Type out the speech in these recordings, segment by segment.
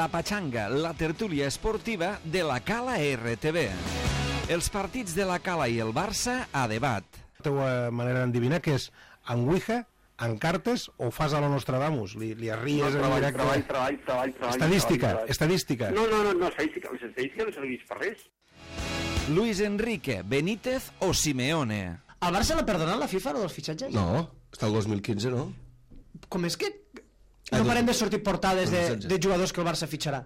La Pachanga, la tertúlia esportiva de la Cala RTV. Els partits de la Cala i el Barça a debat. La teva manera d'endevinar que és en Ouija, en cartes o fas a la Nostradamus? Li arries en directe? Treball. Estadística. No, estadística. Les estadístiques no serveix per res. Luis Enrique, Benítez o Simeone. Al Barça l'ha perdonat la FIFA, dels fitxatges? No, està el 2015, no? Com és que no parem de sortir portades de jugadors que el Barça fitxarà?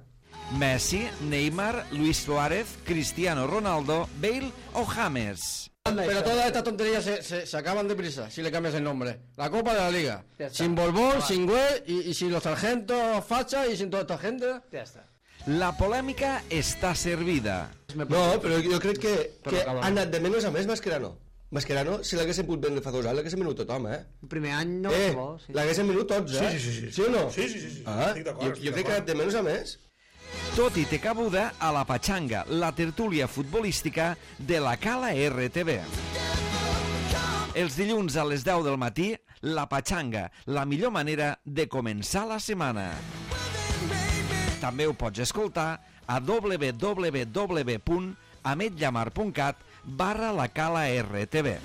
Messi, Neymar, Luis Suárez, Cristiano Ronaldo, Bale o James. Pero todas estas tonterías se acaban deprisa si le cambias el nombre. La Copa de la Liga. Sin Borbón, sin Güell y sin los sargentos Facha y sin toda esta gente. Ja està. La polèmica està servida. No, però jo crec que ha anat de menys a més Mascherano. Mascherano, si l'haguessin pogut vendre fa 2 anys, l'haguessin venut tothom, El primer any no... l'haguessin venut tots, Sí. Sí o no? Sí. Estic d'acord. Jo crec que ha anat de menys a més. Tot i té cabuda a la Pachanga, la tertúlia futbolística de la Cala RTV. Els dilluns a les 10 del matí, la Pachanga, la millor manera de començar la setmana. També ho pots escoltar a www.ametllamar.cat/la Cala RTV.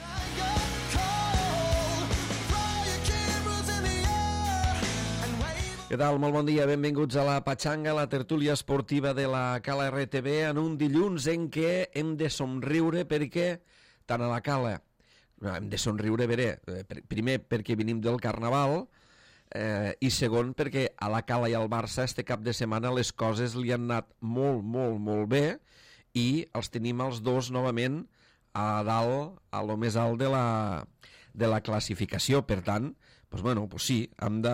Què tal? Molt bon dia, benvinguts a la Pachanga, la tertúlia esportiva de la Cala RTV, en un dilluns en què hem de somriure perquè, tant a la Cala, hem de somriure, primer perquè venim del Carnaval, i segon perquè a la Cala i al Barça este cap de setmana les coses li han anat molt bé i els tenim els dos novament a dalt, a lo més alt de la classificació. Per tant, sí, hem de...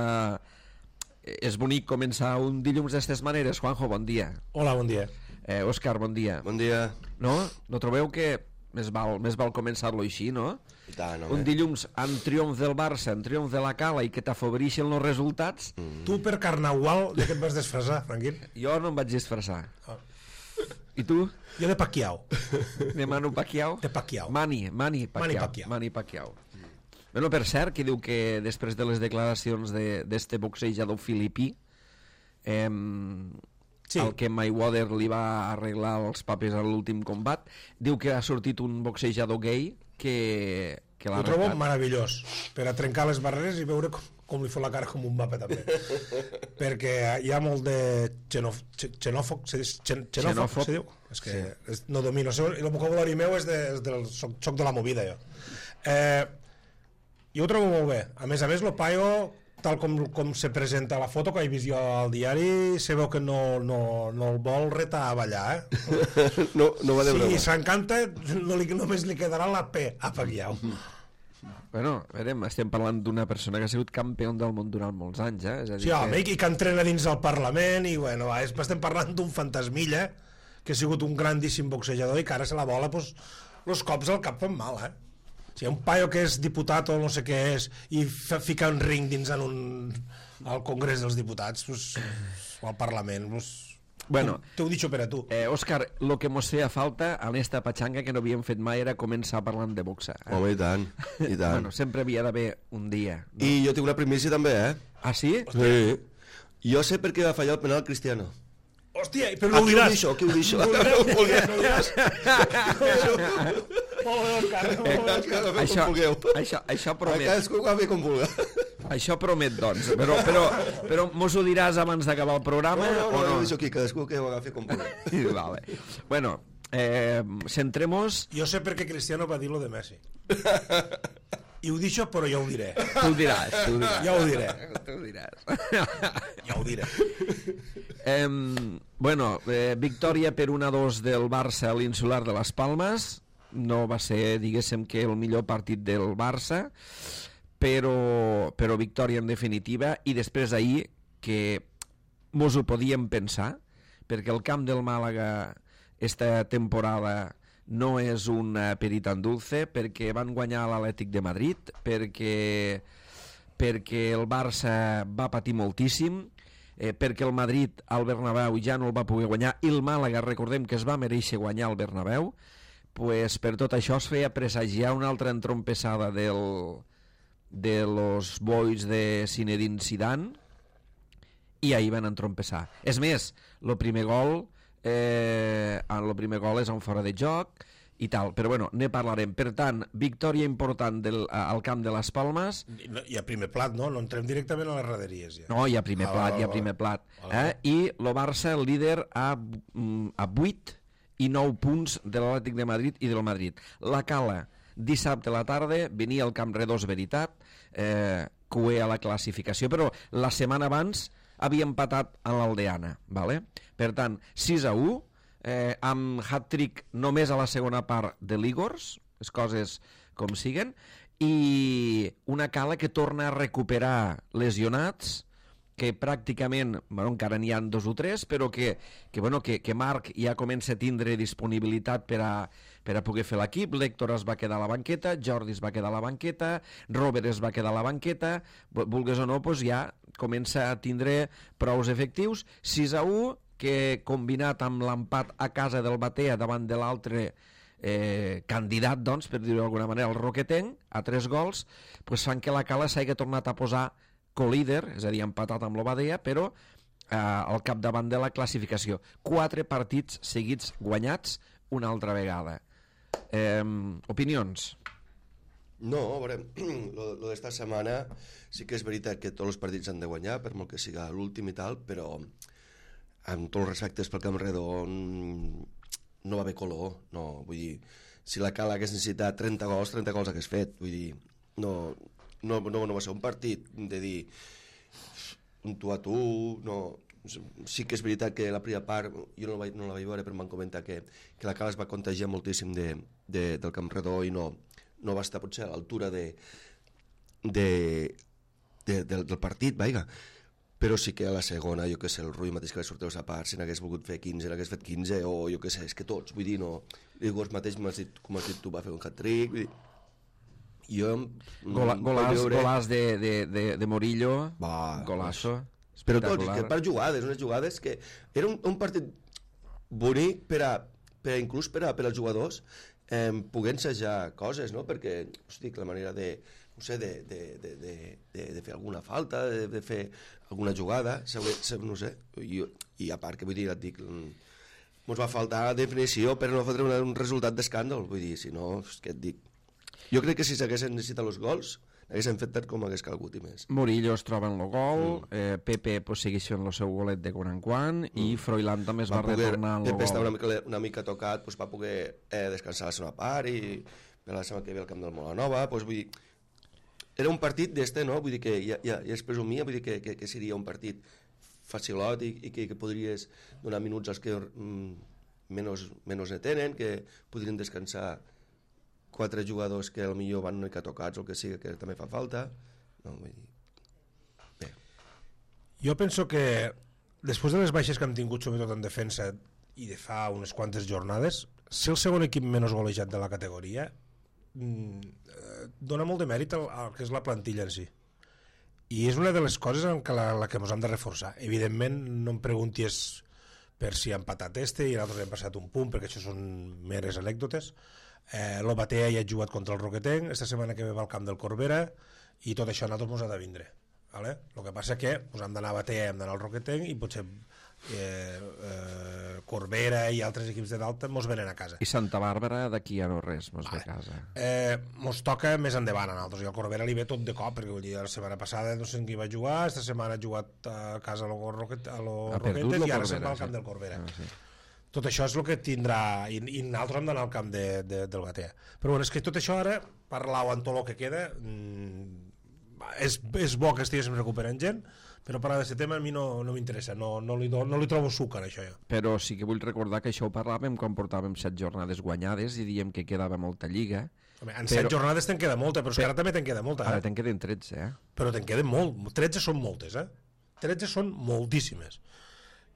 És bonic començar un dilluns d'aquestes maneres. Juanjo, bon dia. Hola, bon dia. Òscar, bon dia. Bon dia. No trobeu que més val començar-lo així, no? I tant, home. Un dilluns amb triomf del Barça, amb triomf de la Cala i que t'afavoreixen els resultats. Tu per Carnaval de què et vas disfressar, Franquín? Jo no em vaig disfressar. I tu? Jo de Pacquiao. De Manu Pacquiao? De Pacquiao. Mani Pacquiao. Bueno, per cert, que diu que després de les declaracions d'este boxejador filipí, el que Mayweather li va arreglar els papers a l'últim combat, diu que ha sortit un boxejador gay que l'ha Ho trobo arreglat. meravellós, per a trencar les barreres i veure com li fot la cara com un mapa també. Perquè hi ha molt de xenòfob, se diu? És que no domino, el vocabulari meu és del soc de la movida, jo. Jo ho trobo molt bé. A més, el paio, tal com se presenta la foto que he vist jo al diari, se veu que no el vol retar a ballar, No va de broma. Si s'encanta, només li quedarà la P a Pacquiao. Bueno, estem parlant d'una persona que ha sigut campió del món durant molts anys, És a dir Sí, home, i que entrena dins del Parlament, i bueno, estem parlant d'un fantasmilla que ha sigut un grandíssim boxejador i que ara se la vola, els cops al cap fan mal, Si hi ha un paio que és diputat o no sé què és i fica un ring dins al Congrés dels Diputats o al Parlament, Bueno, t'ho dicho per a tu. Òscar, lo que mos feia falta en esta pachanga que no havíem fet mai era començar parlant de boxa. Home, i tant. Bueno, sempre havia d'haver un dia. No? I jo tinc una primícia també, Ah, sí? Sí. Jo sé per què va fallar el penal Cristiano. Hòstia, però no ho diràs. Qui ho deixo? No ho diràs. Això promet. Cadascú ho va fer com vulga. Això promet, doncs. Però mos ho diràs abans d'acabar el programa? No, ho deixo aquí, cadascú que ho agafi com vulga. Vale. Bueno, centrem-nos... Jo sé per què Cristiano va dir lo de Messi. I ho deixo, però ja ho diré. Tu ho diràs. Ja ho diré. Tu ho diràs. Ja ho diré. Bueno, victòria per 1-2 del Barça a l'Insular de les Palmes. No va ser, diguéssim, que el millor partit del Barça, però victòria en definitiva. I després ahir, que mos ho podíem pensar, perquè el camp del Màlaga esta temporada no és un peritant dulce, perquè van guanyar l'Atlètic de Madrid, perquè el Barça va patir moltíssim, perquè el Madrid al Bernabéu ja no el va poder guanyar i el Màlaga, recordem que es va mereixer guanyar al Bernabéu. Pues per tot això es feia presagiar una altra entrompessada de los boys de Zinedine Zidane i ahir van entrompessar. És més, el primer gol és a un fora de joc i tal, però bueno, ne parlarem. Per tant, victòria important al camp de les Palmes. Hi ha primer plat, no? No entrem directament a les raderies, ja. No, hi ha primer plat. I el Barça, el líder, a 8 i 9 punts de l'Atlètic de Madrid i del Madrid. La Cala, dissabte a la tarda, venia al Camp Redós, veritat, cué a la classificació, però la setmana abans havia empatat a l'Aldeana, ¿vale? Per tant, 6-1, amb hat-trick només a la segona part de l'Igors, les coses com siguen, i una Cala que torna a recuperar lesionats, que pràcticament, bueno, encara n'hi ha 2 o 3, però que Marc ja comença a tindre disponibilitat per a poder fer l'equip. L'Héctor es va quedar a la banqueta, Jordi es va quedar a la banqueta, Robert es va quedar a la banqueta, vulgues o no, doncs ja comença a tindre prous efectius. 6-1, que combinat amb l'empat a casa del Batea davant de l'altre candidat, doncs, per dir-ho d'alguna manera, el Roquetenc, a 3 gols, doncs fan que la Cala s'hagi tornat a posar co-líder, és a dir, empatat amb l'Obadea, però al capdavant de la classificació. 4 partits seguits guanyats una altra vegada. Opinions? No, a veure, lo d'esta setmana sí que és veritat que tots els partits han de guanyar, per molt que siga l'últim i tal, però amb tots els respectes pel Camp Redó no va haver color, no, vull dir, si la Cala hagués necessitat 30 gols hagués fet, vull dir, no va ser un partit de dir un tu a tu, no. Sí que és veritat que la primera part jo no la vaig veure, però m'han comentat que la Cala es va contagiar moltíssim del Camp Redó i no va estar potser a l'altura del partit, vaiga. Però sí que a la segona, jo que sé, el Rui mateix que va sortir a part, si n'hagués volgut fer 15, n'hagués fet 15, o jo que sé, és que tots, vull dir, no. L'Igors mateix, com has dit tu, va fer un hat-trick, vull dir, jo... Golàs de Morillo, golasso, però tots, que per jugades, unes jugades que era un partit bonic inclús per als jugadors poder ensejar coses, no? Perquè, hosti, la manera de fer alguna falta, de fer alguna jugada, no sé, i a part que vull dir, et dic, ens va faltar definició per no fotre un resultat d'escàndol, vull dir, si no, és que et dic, jo crec que si s'haguessin necessitat els gols haguessin fet tant com hagués calgut i més. Murillo es troba en el gol, Pepe segueix fent el seu golet de quan en quan, i Froilán també es va retornar en el gol. Pepe estava una mica tocat, va poder descansar la seva part, i la setmana que ve al camp del Molanova, vull dir, era un partit d'este, no? Vull dir que ja es presumia, vull dir que seria un partit facilot i que podries donar minuts als que menys ne tenen, que podrien descansar 4 jugadors que potser van una mica tocats o que sigui, que també fa falta. No, vull dir... Bé. Jo penso que després de les baixes que hem tingut, sobretot en defensa, i de fa unes quantes jornades, ser el segon equip menys golejat de la categoria dona molt de mèrit al que és la plantilla en si, i és una de les coses en la que ens hem de reforçar. Evidentment no em preguntis per si ha empatat i nosaltres hem passat un punt, perquè això són meres anècdotes. L'Obatea ja ha jugat contra el Roquetenc, esta setmana que ve va al camp del Corbera, i tot això a nosaltres ens ha de vindre, vale? El que passa que hem d'anar a Batea, hem d'anar al Roquetenc, i potser Corbera i altres equips de dalt mos venen a casa. I Santa Bàrbara d'aquí ja no res, mos ve a casa. Mos toca més endavant a nosaltres, i al Corbera li ve tot de cop, perquè vull dir, la setmana passada no sé en qui va jugar, esta setmana ha jugat a casa a lo Roquetes, i ara se'n va al camp del Corbera. Sí. Tot això és el que tindrà, i nosaltres hem d'anar al camp del Batea. Però bueno, és que tot això ara, parlau en tot el que queda, és bo que estiguéssim recuperant gent, però parlar d'aquest tema a mi no m'interessa, no li trobo suc en això. Però sí que vull recordar que això ho parlàvem quan portàvem 7 jornades guanyades i diem que quedava molta lliga. En 7 jornades te'n queda molta, però és que ara també te'n queda molta. Ara te'n queden 13, Però te'n queden 13 són moltes, 13 són moltíssimes.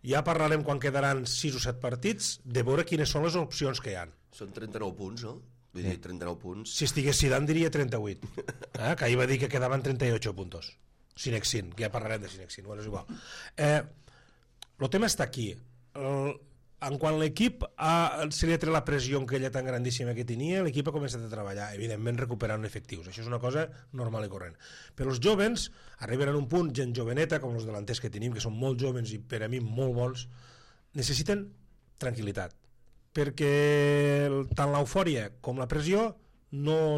Ja parlarem quan quedaran 6 o 7 partits de veure quines són les opcions que hi ha. Són 39 punts, no? Vull dir, 39 punts. Si estigués Zidane diria 38, que ahir va dir que quedaven 38 puntos. Sinexin, que ja parlarem de Sinexin, bueno, és igual. El tema està aquí. en quan l'equip se li ha tret la pressió que ella tan grandíssima que tenia, l'equip ha començat a treballar, evidentment recuperant efectius. Això és una cosa normal i corrent. Però els jovens arriben a un punt, gent joveneta, com els delanters que tenim, que són molt jovens i per a mi molt bons, necessiten tranquil·litat. Perquè tant l'eufòria com la pressió no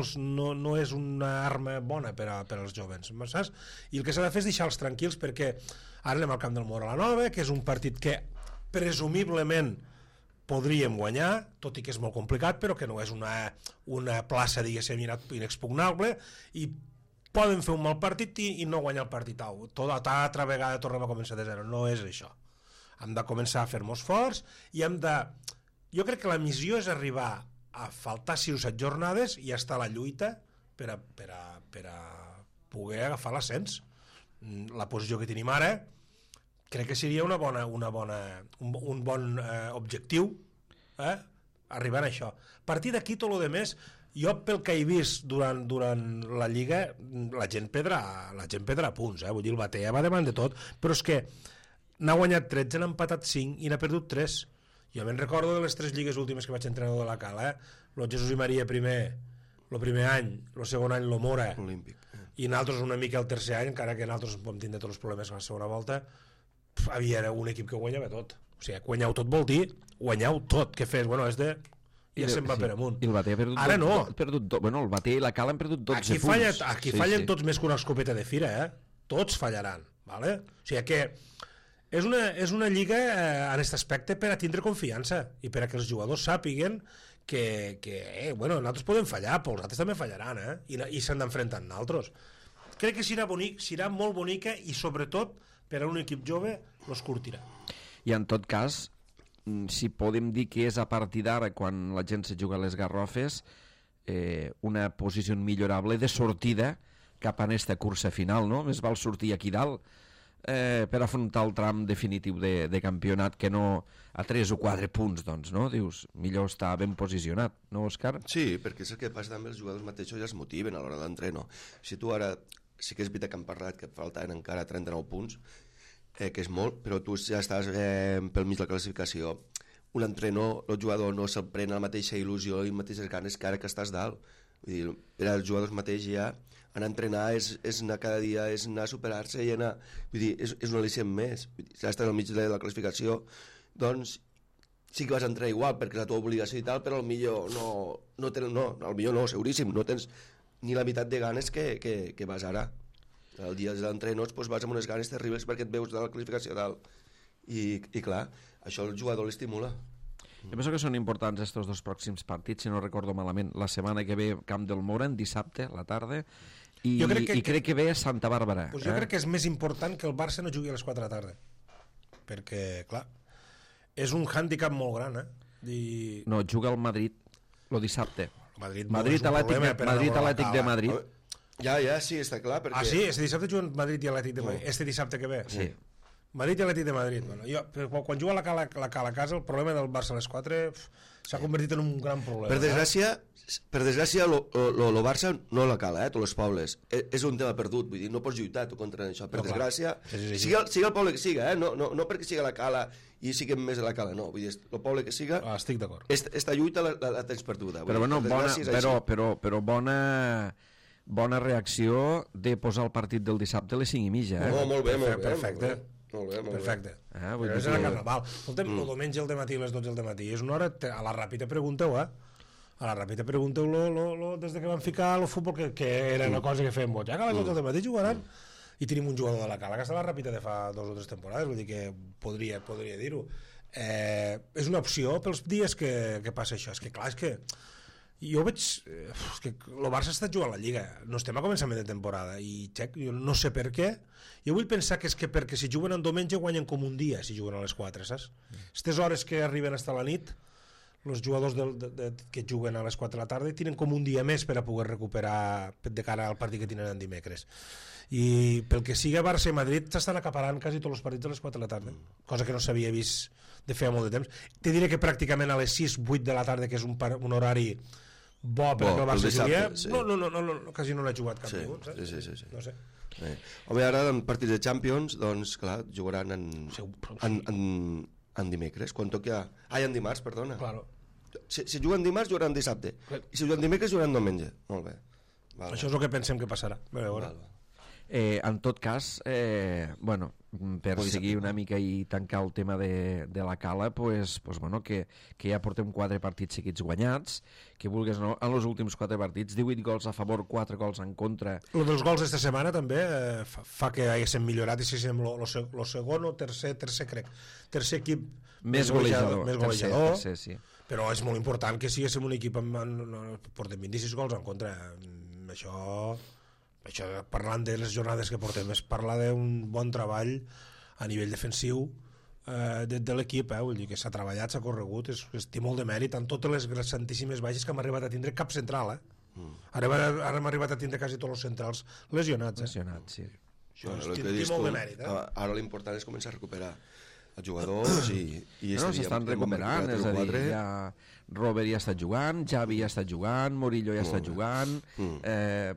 és una arma bona per als jovens, saps? I el que s'ha de fer és deixar-los tranquils, perquè ara anem al camp del Móra la Nova, que és un partit que presumiblement podríem guanyar, tot i que és molt complicat, però que no és una plaça, diguéssim, inexpugnable, i poden fer un mal partit i no guanyar el partit. Altra vegada tornem a començar de zero. No és això. Hem de començar a fer-nos forts i hem de... Jo crec que la missió és arribar a faltar 6 o 7 jornades i estar a la lluita per a poder agafar l'ascens. La posició que tenim ara crec que seria un bon objectiu, arribar a això. A partir d'aquí, tot el més, jo pel que he vist durant la Lliga, la gent perdrà punts, vull dir, el Batea va davant de tot, però és que n'ha guanyat 13, n'ha empatat 5 i n'ha perdut 3. Jo me'n recordo de les 3 lligues últimes que vaig entrenador de la Cala, el Jesús i Maria el primer any, el segon any el Mora, Olímpic. I nosaltres una mica el tercer any, encara que nosaltres vam tindre tots els problemes a la segona volta, havia un equip que guanyava tot. O sigui, guanyau tot vol dir guanyau tot, que fes, bueno, és de... ja se'n va per amunt. I el Batea ha perdut ara no. Bueno, el Batea i la Cala han perdut 12 punts. Aquí fallen tots més que una escopeta de fira, tots fallaran, ¿vale? O sigui que és una lliga en aquest aspecte per a tindre confiança i per a que els jugadors sàpiguen que nosaltres podem fallar, però els altres també fallaran, i s'han d'enfrontar amb nosaltres. Crec que serà molt bonica i sobretot per a un equip jove els curtirà. I en tot cas, si podem dir que és a partir d'ara, quan la gent se juga a les garrofes, una posició millorable de sortida cap a aquesta cursa final, no? Més val sortir aquí dalt per afrontar el tram definitiu de campionat que no a 3 o 4 punts, doncs, no? Dius, millor estar ben posicionat, no, Òscar? Sí, perquè és el que passa també, els jugadors mateixos ja es motiven a l'hora de l'entreno. Si tu ara, sí que és veritat que hem parlat que falten encara 39 punts, que és molt, però tu ja estàs pel mig de la classificació. Un entrenador, el jugador no se'l pren la mateixa il·lusió i mateixes ganes que ara que estàs dalt. Vull dir, per als jugadors mateix ja anar a entrenar és anar cada dia, és anar a superar-se i anar... Vull dir, és un al·licient més. Si estàs al mig de la classificació, doncs sí que vas a entrenar igual perquè és la teva obligació i tal, però potser no, seguríssim, no tens ni la meitat de ganes que vas ara. El dia de l'entrenador doncs vas amb unes ganes terribles perquè et veus de la classificació dalt. I clar, això el jugador l'estimula. Jo penso que són importants estos 2 pròxims partits, si no recordo malament. La setmana que ve Camp del Móra, en dissabte a la tarda, i crec que ve a Santa Bàrbara. Pues jo crec que és més important que el Barça no jugui a les 4 de la tarda, perquè, clar, és un hàndicap molt gran, No, juga al Madrid el dissabte. Madrid Atlètic de Madrid. Ja, sí, està clar. Perquè... sí, este dissabte juguen Madrid i Atlètic de Madrid. Este dissabte que ve? Sí. Madrid i Atlètic de Madrid. Bueno, quan juga la Cala a casa, el problema del Barça a les 4 s'ha convertit en un gran problema. Per desgràcia, el Barça no la Cala, tots els pobles. És un tema perdut, vull dir, no pots lluitar tu contra això. Per desgràcia, siga el poble que siga, no perquè siga la Cala i siguem més a la Cala, no. Vull dir, el poble que siga... Estic d'acord. Esta lluita la tens perduda. Però bueno, bona reacció de posar el partit del dissabte a les 5:30, No, molt bé. Perfecte. Perfecte. Però és el carnaval. Escolta'm, el diumenge al dematí a les 12 del matí és una hora, a la Ràpita pregunteu, A la Ràpita pregunteu des que van ficar el futbol, que era una cosa que fèiem ja que a les 12 del matí jugaran, i tenim un jugador de la Cala que està a la Ràpita de fa 2 o 3 temporades, vull dir que podria dir-ho. És una opció pels dies que passa això. És que clar, és que jo veig que el Barça està jugant la Lliga, no estem a començament de temporada i jo no sé per què. Jo vull pensar que és que perquè si juguen en diumenge guanyen com un dia si juguen a les 4, saps? Aquestes hores que arriben fins a la nit, els jugadors que juguen a les 4 de la tarda tenen com un dia més per a poder recuperar de cara al partit que tenen en dimecres. I pel que siga Barça i Madrid s'estan acaparant quasi tots els partits a les 4 de la tarda, cosa que no s'havia vist de feia molt de temps. Te diré que pràcticament a les 6-8 de la tarda, que és un horari bo perquè el Barça juguia, no, quasi no l'ha jugat cap ningú, saps? Sí. No sé. Home, ara en partits de Champions, doncs clar, jugaran en dimecres, quan toca... en dimarts, perdona. Claro. Si juguen dimarts, jugaran dissabte. I si juguen dimecres, jugaran diumenge. Molt bé. Val. Això és el que pensem que passarà. Val. En tot cas, bueno, per seguir una mica i tancar el tema de la Cala, pues, bueno, que ja portem 4 partits seguits guanyats, que vulguis no, en els últims 4 partits, 18 gols a favor, 4 gols en contra. El dels gols d'esta setmana també fa que haguéssim millorat i si som el segon o tercer crec, tercer equip més golejador. Tercer, sí. Però és molt important que siguéssim un equip portem 26 gols en contra. Això parlant de les jornades que portem és parlar d'un bon treball a nivell defensiu de l'equip, vull dir que s'ha treballat, s'ha corregut, té molt de mèrit en totes les santíssimes baixes que hem arribat a tindre cap central, ara hem arribat a tindre quasi tots els centrals lesionats. Lesionats, sí. Té molt de mèrit. Ara l'important és començar a recuperar els jugadors i s'estan recuperant, és a dir, ja Robert ja està jugant, Xavi ja està jugant, Murillo ja està jugant,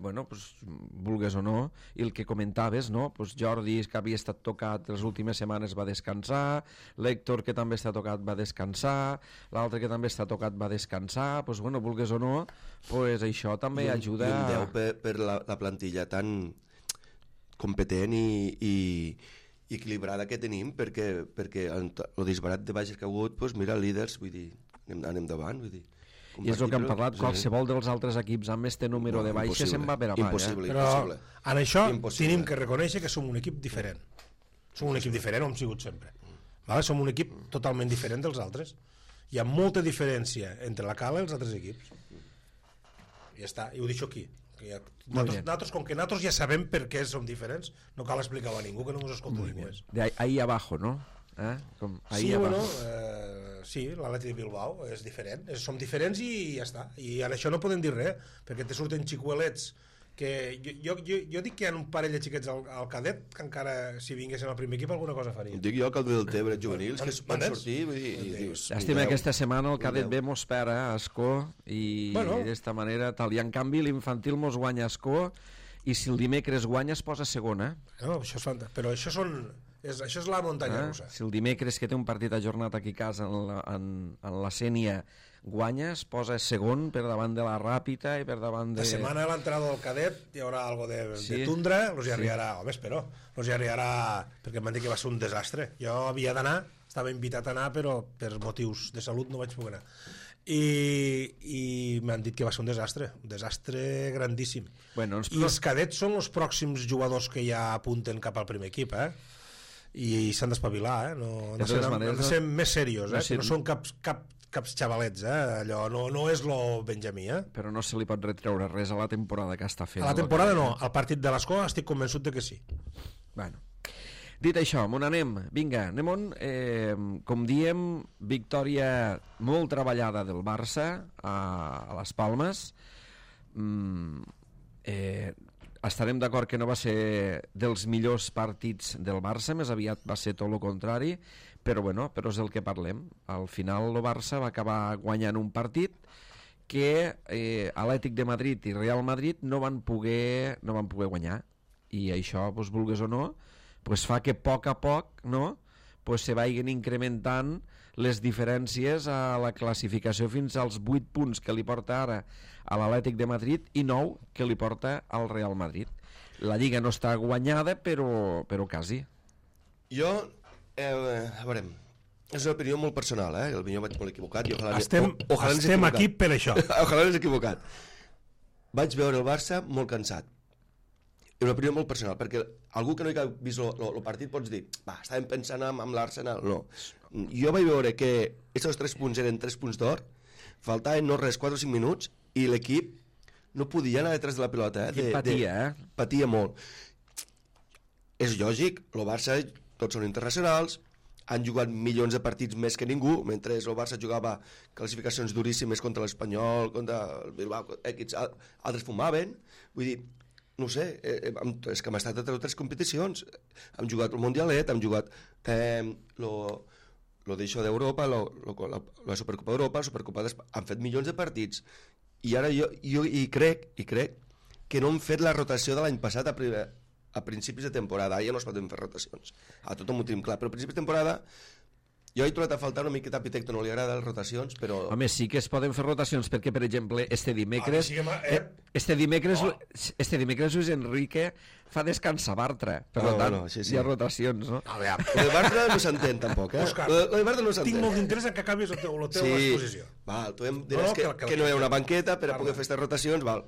bueno, pues, vulgues o no, i el que comentaves, no? Pues Jordi, que havia estat tocat les últimes setmanes, va descansar, l'Héctor, que també està tocat, va descansar, l'altre que també està tocat va descansar, pues, bueno, vulgues o no, pues, això també ajuda... I un 10 per la plantilla tan competent i equilibrada que tenim, perquè el disbarat de baixes que ha hagut, doncs mira, líders, vull dir, anem davant, vull dir. I és el que hem parlat, qualsevol dels altres equips amb este número de baixes se'n va per avall. Impossible, Però impossible. en això tenim que reconèixer que som un equip diferent. Som un equip diferent, ho hem sigut sempre. Som un equip totalment diferent dels altres. Hi ha molta diferència entre la Cala i els altres equips. I ja està, i ho deixo aquí. Nosaltres, com que nosaltres ja sabem per què som diferents, no cal explicar-ho a ningú, que no ens escolta ningú. De ahí abajo, ¿no? Sí, bueno, sí, l'Atleti de Bilbao és diferent, som diferents i ja està, i en això no podem dir res, perquè te surten xicuelets que jo dic que hi ha un parell de xiquets al cadet que encara si vinguessin al primer equip alguna cosa farien. Dic jo que el del Tebre juvenils que van sortir i dius... Llàstima aquesta setmana el cadet B mos pera a Escó i d'esta manera tal, i en canvi l'infantil mos guanya a Escó i si el dimecres guanya es posa segona. No, això és fantàstic, però això és la muntanya russa. Si el dimecres que té un partit ajornat aquí a casa en la Sènia guanya, es posa segon per davant de la Ràpita i per davant de... La setmana de l'entrada del cadet hi haurà algo de tundra, los hi arribarà, home, espero, los hi arribarà, perquè em van dir que va ser un desastre. Jo havia d'anar, estava invitat a anar, però per motius de salut no vaig poder anar. I m'han dit que va ser un desastre grandíssim. Bueno, I els cadets són els pròxims jugadors que ja apunten cap al primer equip, i s'han d'espavilar, han de ser més serios, que no són caps xavalets, allò no és lo Benjamí, Però no se li pot retreure res a la temporada que està fent. A la temporada no, al partit de l'Escó estic convençut de que sí. Bueno, dit això, on anem? Vinga, anem com diem, victòria molt treballada del Barça a les Palmes. Estarem d'acord que no va ser dels millors partits del Barça, més aviat va ser tot el contrari, però és el que parlem. Al final el Barça va acabar guanyant un partit que Atlètic de Madrid i Real Madrid no van poder guanyar, i això, vulgues o no, fa que a poc se vagin incrementant les diferències a la classificació fins als 8 punts que li porta ara a l'Atlètic de Madrid i 9 que li porta al Real Madrid. La Lliga no està guanyada, però quasi. Jo, a veure, és una opinió molt personal, potser vaig molt equivocat i estem aquí per això. Ojalà no és equivocat. Vaig veure el Barça molt cansat. És una opinió molt personal, perquè algú que no hi ha vist el partit pots dir, estàvem pensant amb l'Arsenal. No. Jo vaig veure que aquests 3 punts eren 3 punts d'or, faltaven no res, 4 o 5 minuts, i l'equip no podia anar detrás de la pilota. Patia molt. És lògic, el Barça, tots són internacionals, han jugat milions de partits més que ningú, mentre el Barça jugava classificacions duríssimes contra l'Espanyol, contra el Bilbao, altres fumaven. Vull dir, no sé, és que hem estat a 3 competicions. Hem jugat el Mundialet, hem jugat lo d'això d'Europa, la Supercopa d'Europa, la Supercopa d'Espanya, han fet milions de partits. I ara jo crec que no hem fet la rotació de l'any passat a principis de temporada. Ja no es poden fer rotacions. A tothom ho tenim clar, però a principis de temporada Jo he trobat a faltar una miqueta a Pitecto, no li agrada les rotacions, però... Home, sí que es poden fer rotacions, perquè, per exemple, este dimecres Luis Enrique fa descansar Bartra. Per tant, sí. hi ha rotacions, no? A veure, lo de Bartra no s'entén, tampoc, Òscar, lo de Bartra no s'entén. tinc molt d'interès en que acabis la teva exposició. Val, tu em diràs que no hi ha una banqueta per a poder fer aquestes rotacions, val.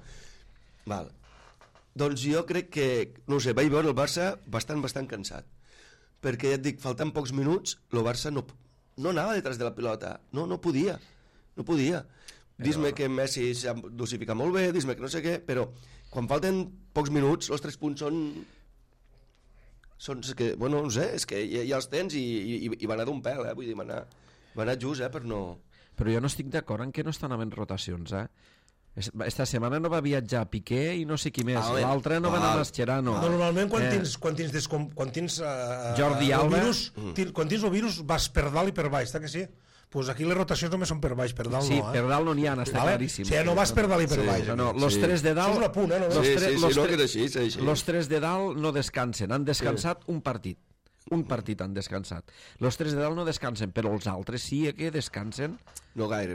Doncs jo crec que, no ho sé, vaig veure el Barça bastant cansat. Perquè ja et dic, faltant pocs minuts, el Barça no anava detrás de la pilota, no podia. Dis-me que Messi s'ha dosificat molt bé, dis-me que no sé què, però quan falten pocs minuts, els 3 punts són que, bueno, no sé, és que ja els tens i va anar d'un pèl, vull dir, va anar just, per no... Però jo no estic d'acord en que no estan havent rotacions, Esta setmana no va viatjar Piqué i no sé qui més. L'altre no va anar Mascherano. Normalment quan tens Jordi Alba, quan tens el virus vas per dalt i per baix, està que sí? Pues aquí les rotacions només són per baix, per dalt sí, no. Per dalt no n'hi ha, està claríssim. O sigui, no vas per dalt i per baix. No, los 3 de dalt... Això és un apunt, no? Sí, que és així. Los 3 de dalt no descansen, han descansat un partit. Un partit han descansat. Los 3 de dalt no descansen, però els altres sí que descansen. No gaire.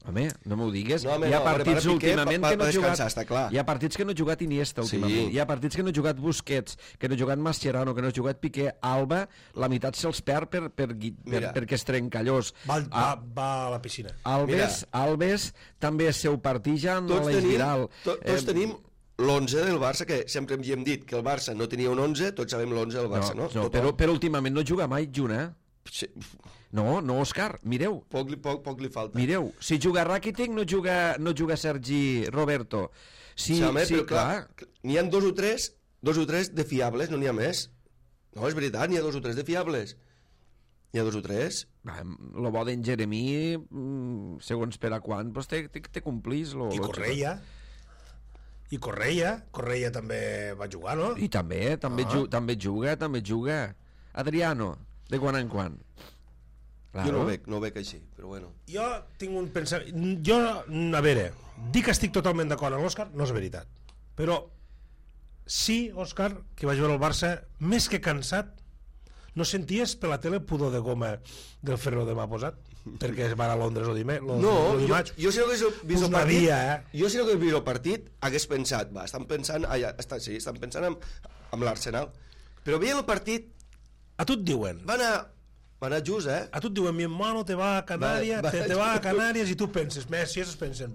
Home, no m'ho digues. No, hi ha partits últimament que no ha jugat... Està clar. Hi ha partits que no ha jugat Iniesta últimament. Sí. Hi ha partits que no ha jugat Busquets, que no ha jugat Mascherano, que no ha jugat Piqué. Alba, la meitat se'ls perd perquè es trenca llos. Va a la piscina. Alves també és seu partijan. Tots tenim l'11 del Barça, que sempre hem dit que el Barça no tenia un 11, tots sabem l'11 del Barça, no? Però últimament no juga mai Juna, Sí. No, Òscar, mireu. Poc li falta. Mireu, si juga Rakitic no juga Sergi Roberto. Sí, però clar, n'hi ha dos o tres de fiables, no n'hi ha més. No, és veritat, n'hi ha 2 o 3 de fiables. N'hi ha 2 o 3. Lo bo d'en Jeremí, segons per a quan, pues te complís. I Correia també va jugar, no? I també juga. Adriano, de quan en quan. Claro. Jo no ho veig així, però bueno. Jo tinc un pensament... a veure, dir que estic totalment d'acord amb l'Òscar no és veritat. Però sí, Òscar, que vaig veure el Barça, més que cansat, no senties per la tele pudor de goma del Ferro de m'ha posat? Perquè es va a Londres o dimarts. Jo si no hagués vist el partit, jo si no hagués vist el partit, hagués pensat, estan pensant amb l'Arsenal. Però veient el partit... A tu et diuen... Va anar just, A tu et diuen, mi hermano te va a Canàries, te va a Canàries, i tu penses, Messi, es pensen,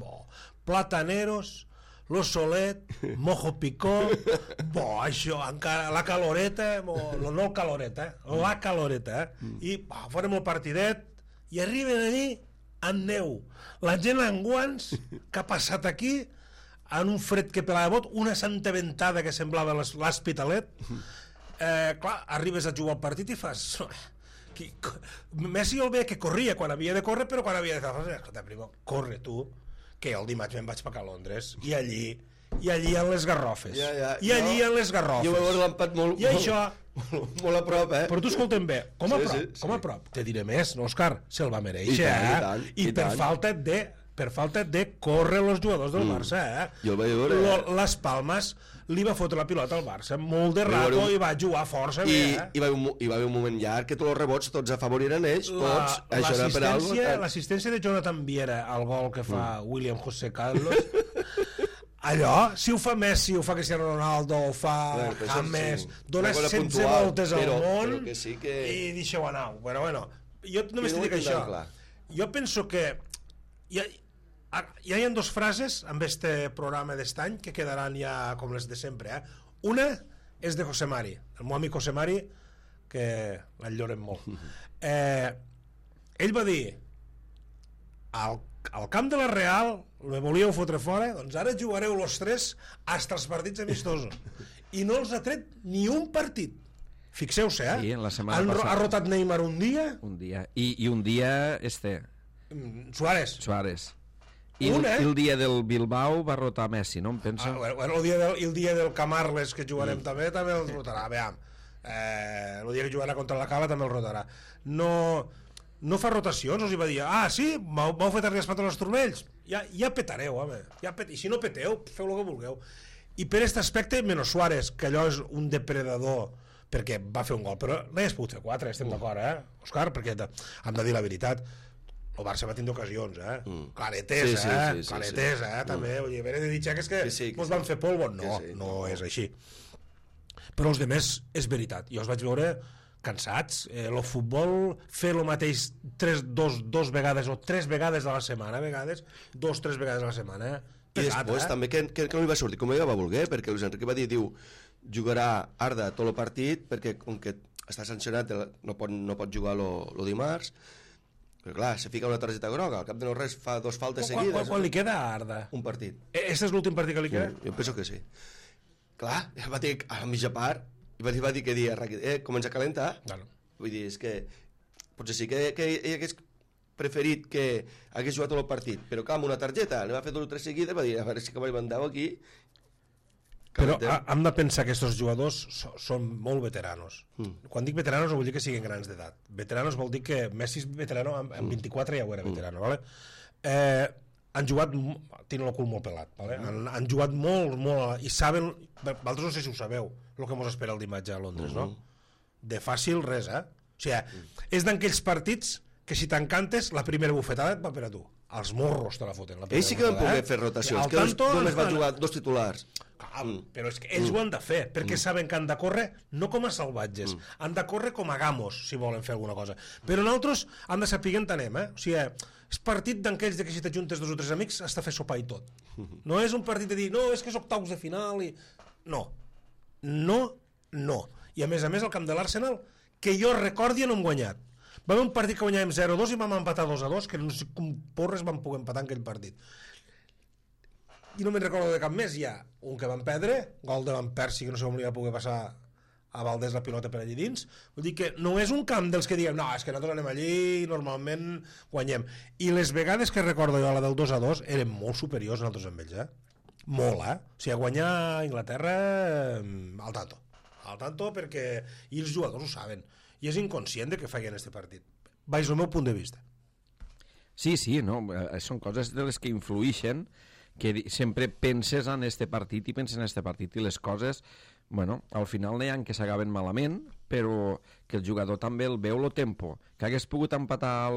Plataneros, Lo Solet, Mojo Picó, això, encara, la caloreta, no el caloreta, la caloreta, i farem el partidet, i arriben allí amb neu. La gent amb guants, que ha passat aquí, en un fred que pelava bot, una santa ventada que semblava l'Hospitalet. Clar, arribes a jugar al partit i fas... Messi el veia que corria quan havia de córrer, però quan havia de fer... Escolta, primo, corre tu, que el dimarts me'n vaig pagar a Londres, i allí en les garrofes. En les garrofes. Jo m'he veure l'empat molt a prop, Però tu escolta'm bé, com a prop? Te diré més, no, Òscar? Se'l va mereixer, I per falta de córrer els jugadors del Barça, Jo el vaig veure, Les Palmes li va fotre la pilota al Barça molt de rato i va jugar força bé, I va haver un moment llarg que tots els rebots tots afavoriren ells, l'assistència de Jonathan Viera al gol que fa William José Carlos, allò, si ho fa Messi, ho fa Cristiano Ronaldo, ho fa James, dona 16 voltes al món i deixeu anar. Bueno, jo només t'hi dic això. Jo penso que ja hi ha 2 frases amb este programa d'est any que quedaran ja com les de sempre. Una és de José Mari, el meu amic José Mari, que l'enyorem molt. Ell va dir, al camp de la Real me volíeu fotre fora, doncs ara jugareu los 3 hasta els partits amistosos, i no els ha tret ni un partit. Fixeu-se, Sí, la setmana passada. Ha rotat Neymar un dia i un dia Suárez. I el dia del Bilbao va rotar Messi, no em pensa? El dia del Camarles, que jugarem també el rotarà. Veam, el dia que jugarà contra la Cala també el rotarà. No fa rotacions, us hi va dir, sí, m'heu fet arribar els turmells, ja petareu, home, i si no peteu, feu el que vulgueu. I per aquest aspecte, menys Suárez, que allò és un depredador perquè va fer un gol, però n'hagués pogut fer 4, estem d'acord, Òscar? Perquè hem de dir la veritat, el Barça va tindre ocasions, claretes, claretes, també, vull dir, de dir que és que ens van fer polvo, no és així. Però els demés és veritat, jo els vaig veure cansats, el futbol fer el mateix dos vegades o 3 vegades a la setmana, a vegades 2-3 vegades a la setmana, i després també que no li va sortir com ella va voler, perquè Luis Enrique va dir, jugarà Arda tot el partit perquè com que està sancionat no pot jugar el dimarts, però clar, se fica una targeta groga, al cap de no res fa 2 faltes seguides. Quan li queda a Arda? Un partit. Este és l'últim partit que li queda? Jo penso que sí. Clar, va dir a la mitja part va dir que comença a calentar. Vull dir, és que potser sí que ell hagués preferit que hagués jugat tot el partit, però amb una targeta li va fer 2 o 3 seguides, va dir, a veure si que mandau aquí. Però hem de pensar que aquests jugadors són molt veteranos. Quan dic veteranos no vull dir que siguin grans d'edat. Veteranos vol dir que Messi és veterano, amb 24 ja ho era veterano, vale? Han jugat, tenen el cul molt pelat, vale? Han jugat molt, i saben, vosaltres no sé si ho sabeu, el que mos espera el dimarts a Londres, no? De fàcil res, O sigui, és d'aquells partits que si t'encantes, la primera bufetada et va per a tu. Els morros te la foten. Ells sí que van poder fer rotacions, que només van jugar 2 titulars. Però és que ells ho han de fer, perquè saben que han de córrer no com a salvatges, han de córrer com a gamos, si volen fer alguna cosa. Però nosaltres han de saber on anem, O sigui, és partit d'aquells que si t'ajuntes 2 o 3 amics has de fer sopar i tot. No és un partit de dir, no, és que és octaus de final i... No. I a més, el camp de l'Arsenal, que jo recordi no hem guanyat. Va haver un partit que guanyàvem 0-2 i vam empatar 2-2, que no sé com porres vam poder empatar en aquell partit. I no me'n recordo de cap més. Hi ha un que van perdre, gol de Van Persie, que no sé com li va poder passar a Valdés la pilota per allí dins. Vull dir que no és un camp dels que diguem, no, és que nosaltres anem allí i normalment guanyem. I les vegades que recordo jo, la del 2-2, eren molt superiors nosaltres amb ells, Molt, O sigui, guanyar a Inglaterra al tanto perquè i els jugadors ho saben. I és inconscient de que feien este partit, baix el meu punt de vista. Sí, no, són coses de les que influïxen, que sempre penses en este partit i penses en este partit i les coses, bueno, al final n'hi ha que s'acaben malament, però que el jugador també el veu el tempo, que hagués pogut empatar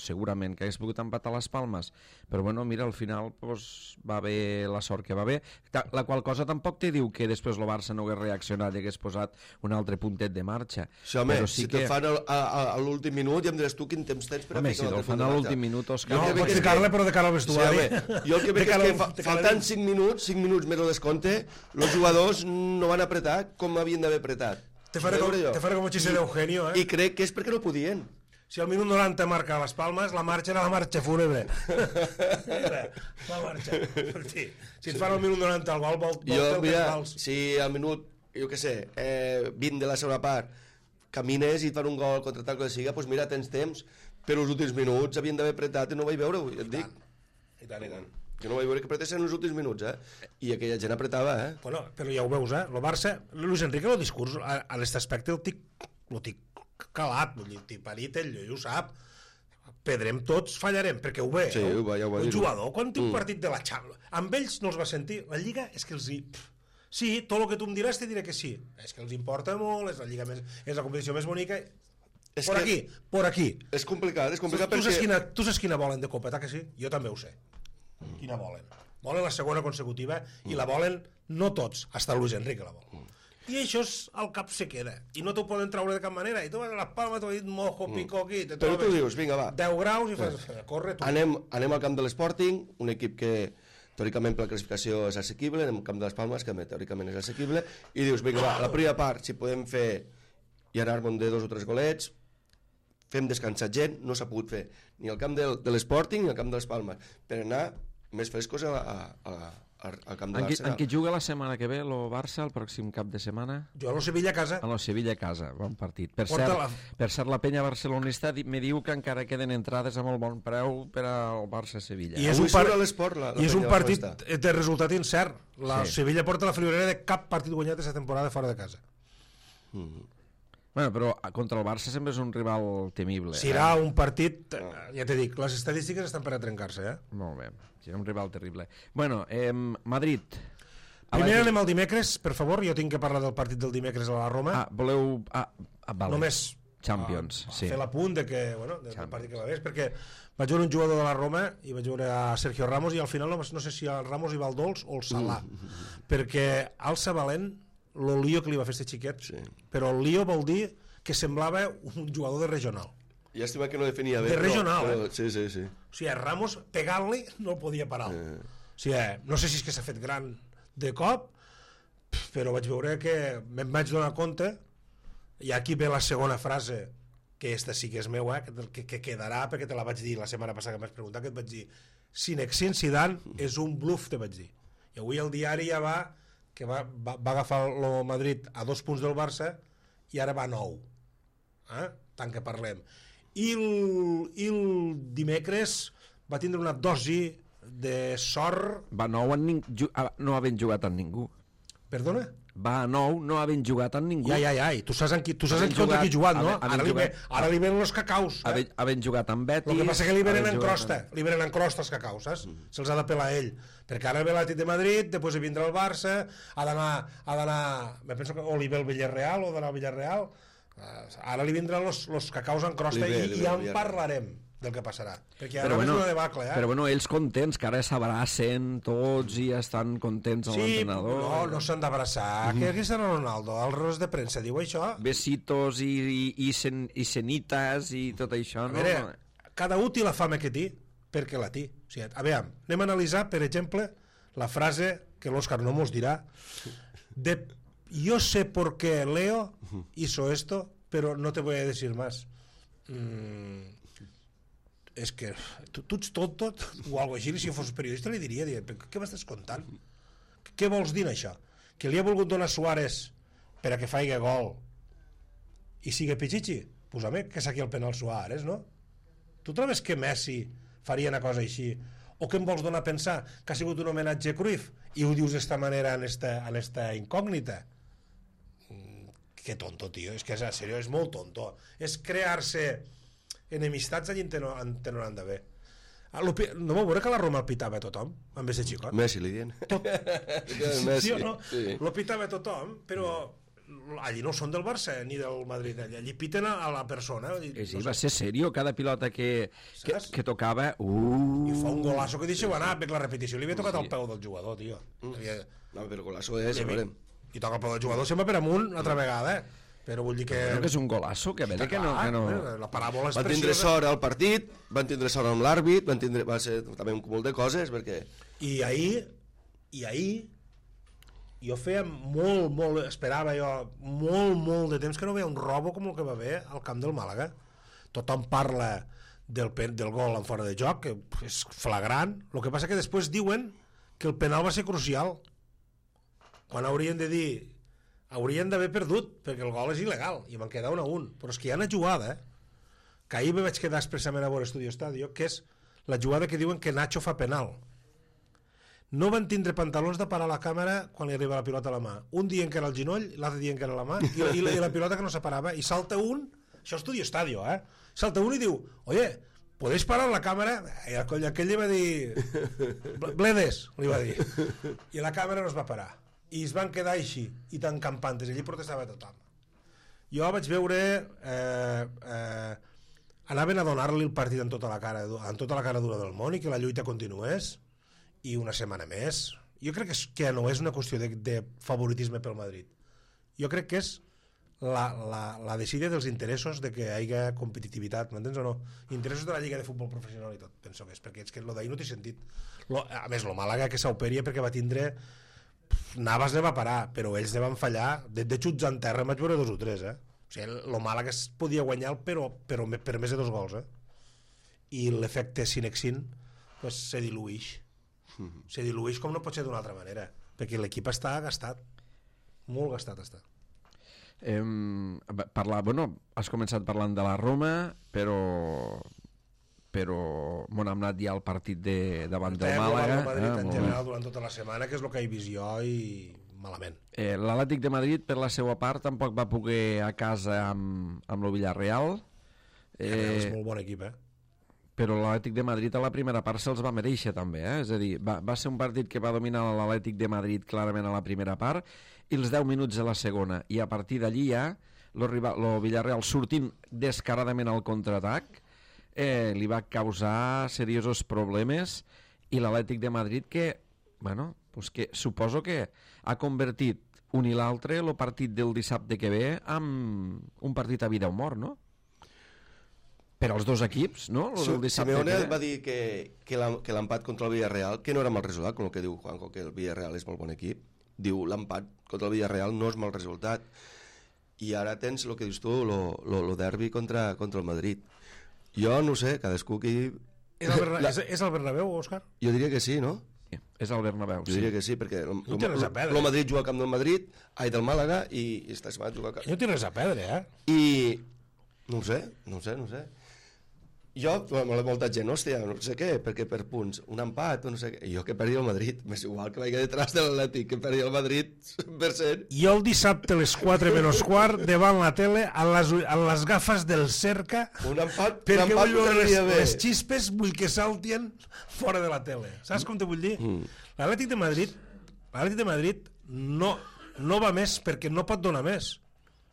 segurament que hagués pogut empatar les Palmes, però bueno, mira, al final pues, va haver la sort que va haver, la qual cosa tampoc te diu que després el Barça no hagués reaccionat i hagués posat un altre puntet de marxa. Sí, home, si te'l fan a l'últim minut ja em diràs tu quin temps tens per a ficar l'altre punt de marxa. Home, si te'l fan a l'últim minut, Òscar... No, pots ficar-le però de cara al vestuari. Jo el que veig és que faltant 5 minuts més el descompte, els jugadors no van apretar com havien d'haver apretat. Te faré com el xiste d'Eugenio, I crec que és perquè no podien. Si al minut 90 marca les Palmes, la marxa era la marxa fúnebre. La marxa. Si et fan al minut 90 el gol, vol si al minut, jo què sé, 20 de la segona part, camines i et fan un gol contra tal que siga, doncs mira, tens temps, però els últims minuts havien d'haver apretat i no ho vaig veure, et dic. I tant. Jo no vaig veure que apretessin els últims minuts, I aquella gent apretava, Bueno, però ja ho veus, el Barça, Luis Enrique, el discurs, a aquest aspecte el tic calat, vull dir, tiparit, ell ho sap. Pedrem tots, fallarem, perquè ho ve. Sí, ho va dir. Un jugador, quan té un partit de la Champions, amb ells no els va sentir. La Lliga és que els hi... Sí, tot el que tu em diràs te diré que sí. És que els importa molt, és la Lliga més... és la competició més bonica... Por aquí. És complicat perquè... Tu saps quina volen de copeta, que sí? Jo també ho sé. Quina volen? Volen la segona consecutiva i la volen no tots, hasta Luis Enrique la vol. I això al cap se queda i no t'ho poden treure de cap manera i tu vas a les Palmes, t'ho ha dit mojo, pico aquí, però tu dius, vinga va, 10 graus i fas, corre tu. Anem al camp de l'Sporting, un equip que teòricament per la classificació és assequible, anem al camp de les Palmes, que teòricament és assequible, i dius, vinga va, la primera part, si podem fer i anar-me'n de 2 o 3 golets, fem descansar gent, no s'ha pogut fer ni al camp de l'Sporting ni al camp de les Palmes, per anar més frescos al camp de l'Arsenal. En què juga la setmana que ve el Barça, el pròxim cap de setmana? Juga a Sevilla a casa. A Sevilla a casa, bon partit. Per cert, la penya barcelonista me diu que encara queden entrades a molt bon preu per al Barça-Sevilla. I és un partit de resultat incert. La Sevilla porta la friolera de cap partit guanyat aquesta temporada fora de casa. Bueno, però contra el Barça sempre és un rival temible. Serà un partit, ja t'he dit, les estadístiques estan per a trencar-se, Molt bé, serà un rival terrible. Bueno, Madrid. Primer anem al dimecres, per favor, jo tinc que parlar del partit del dimecres a la Roma. Voleu... vale. Només Champions, sí. fer l'apunt de que, bueno, del partit que va haver, perquè vaig veure un jugador de la Roma i vaig veure a Sergio Ramos i al final no sé si el Ramos hi va el dolç o el Salà, perquè al Sabalent el lío que li va fer este xiquet, però el lío vol dir que semblava un jugador de regional. Llàstima que no definia bé. De regional, Sí. O sigui, Ramos, pegar-li, no el podia parar. O sigui, no sé si és que s'ha fet gran de cop, però vaig veure que me'n vaig donar compte, i aquí ve la segona frase, que esta sí que és meua, que quedarà, perquè te la vaig dir la setmana passada que m'has preguntat, que et vaig dir, Zinedine Zidane és un bluff, te vaig dir. I avui el diari ja va agafar el Madrid a 2 punts del Barça i ara va a 9. Tant que parlem. I el dimecres va tindre una dosi de sort... Va a 9 no havent jugat amb ningú. Perdona? Va a 9 no havent jugat amb ningú. Ja. I tu saps contra qui ha jugat, no? Ara li venen els cacaus. Havent jugat amb Betis... El que passa que li venen en crosta. Li venen en crosta els cacaus, saps? Se'ls ha de pelar ell. Perquè ara ve l'Atlètic de Madrid, després vindrà el Barça, ha d'anar... Me penso que o li ve el Villarreal o d'anar al Villarreal. Ara li vindran els cacaus en crosta i ja en parlarem del que passarà. Perquè ara és una debacle, Però bueno, ells contents, que ara s'abracen tots i estan contents amb l'entrenador. No s'han d'abraçar. Que aquí està Ronaldo, al ros de premsa, diu això. Besitos i cenites i tot això, no? A veure, cada útil la fama que té, perquè la té. O sigui, a veure, anem a analitzar, per exemple, la frase que l'Òscar no mos dirà de yo sé por qué Leo hizo esto, pero no te voy a decir más. És que tu ets tonto o alguna cosa així, si jo fos periodista li diria, què m'estàs contant? Què vols dir això? Que li ha volgut donar Suárez per a que faci gol i siga Pichichi? Pues a mi que saqui el penal Suárez, no? Tu trobes que Messi faria una cosa així? O què em vols donar a pensar? Que ha sigut un homenatge a Cruyff i ho dius d'esta manera en esta incògnita? Que tonto, tio, és que en sèrio és molt tonto. És crear-se enemistats allà on no han d'haver. No vau veure que la Roma el pitava a tothom amb aquest xicot? Messi li dient. Sí o no? Lo pitava a tothom, però allí no són del Barça ni del Madrid, allí piten a la persona. Sí, va ser serio, cada pilota que tocava... I fa un golazo que deixeu anar, perquè la repetició li havia tocat al peu del jugador, tio. No, però golazo és, veurem. I toca el peu del jugador, sempre per amunt, altra vegada, però vull dir que... Però que és un golazo, que veure que no... La paràbola és van tindre sort al partit, van tindre sort amb l'àrbit, va ser també un cúmul de coses, perquè... I ahir jo feia molt, esperava jo molt de temps que no veia un robo com el que va haver al camp del Màlaga. Tothom parla del gol en fora de joc, que és flagrant, el que passa que després diuen que el penal va ser crucial, quan haurien de dir haurien d'haver perdut, perquè el gol és il·legal i van quedar 1-1, però és que hi ha una jugada que ahir me vaig quedar expressament a veure Estudio Estadio, que és la jugada que diuen que Nacho fa penal. No van tindre pantalons de parar la càmera quan li arriba la pilota a la mà. Un dient que era el ginoll, l'altre dient que era la mà, i la pilota que no separava, i salta un, això és Estudio Estadio, salta un i diu, oye, ¿podéis parar la càmera? I aquell li va dir, bledes, li va dir, i la càmera no es va parar. I es van quedar així, i tan campantes, allí protestava tothom. Jo vaig veure... anaven a donar-li el partit amb tota la cara dura del món i que la lluita continués, i una setmana més. Jo crec que no és una qüestió de favoritisme pel Madrid. Jo crec que és la decisió dels interessos de que hi hagi competitivitat, m'entens o no? Interessos de la Lliga de Futbol Professional i tot, penso que és, perquè és que lo d'ahir no té sentit. A més, lo Màlaga que s'auperia perquè va tindre... Navas ne va parar, però ells ne van fallar de xuts en terra, em vaig veure 2 o 3, O sigui, el Màlaga es podia guanyar però per més de 2 gols, I l'efecte Zinedine pues, se diluïx. Se diluïx com no pot ser d'una altra manera, perquè l'equip està gastat, molt gastat està. Has començat parlant de la Roma, però hem anat ja al partit davant del Màlaga. En general durant tota la setmana, que és el que hi he vist jo, i malament. L'Atlètic de Madrid, per la seva part, tampoc va poder a casa amb el Villarreal. És molt bon equip, però l'Atlètic de Madrid a la primera part se'ls va mereixer també, És a dir, va ser un partit que va dominar l'Atlètic de Madrid clarament a la primera part i els 10 minuts de la segona, i a partir d'allí ja el Villarreal sortint descaradament al contraatac li va causar seriosos problemes, i l'Atlètic de Madrid que, bueno, pues que suposo que ha convertit un i l'altre el partit del dissabte que ve en un partit a vida o mort, no? Per als dos equips, no? Simeone va dir que l'empat contra el Villarreal, que no era mal resultat, com el que diu Juanjo, que el Villarreal és molt bon equip, diu l'empat contra el Villarreal no és mal resultat, i ara tens el que dius tu, el derbi contra el Madrid. Jo no sé, cadascú que... És el Bernabéu, Òscar? Jo diria que sí, no? Sí, és el Bernabéu, jo diria que sí, perquè el Madrid juga al camp del Madrid, del Màlaga, i esta setmana juga al camp. No té res a perdre, I no sé. Jo, molta gent, hòstia, no sé què, perquè per punts, un empat, no sé què, jo que perdi el Madrid, m'és igual que vagi detrás de l'Atlètic, que perdi el Madrid 100%. Jo el dissabte a les 4 menys quart, davant la tele, a les gafes del Cerca, un empat perquè vull veure les xispes, vull que saltien fora de la tele. Saps com te vull dir? L'Atlètic de Madrid no va més perquè no pot donar més.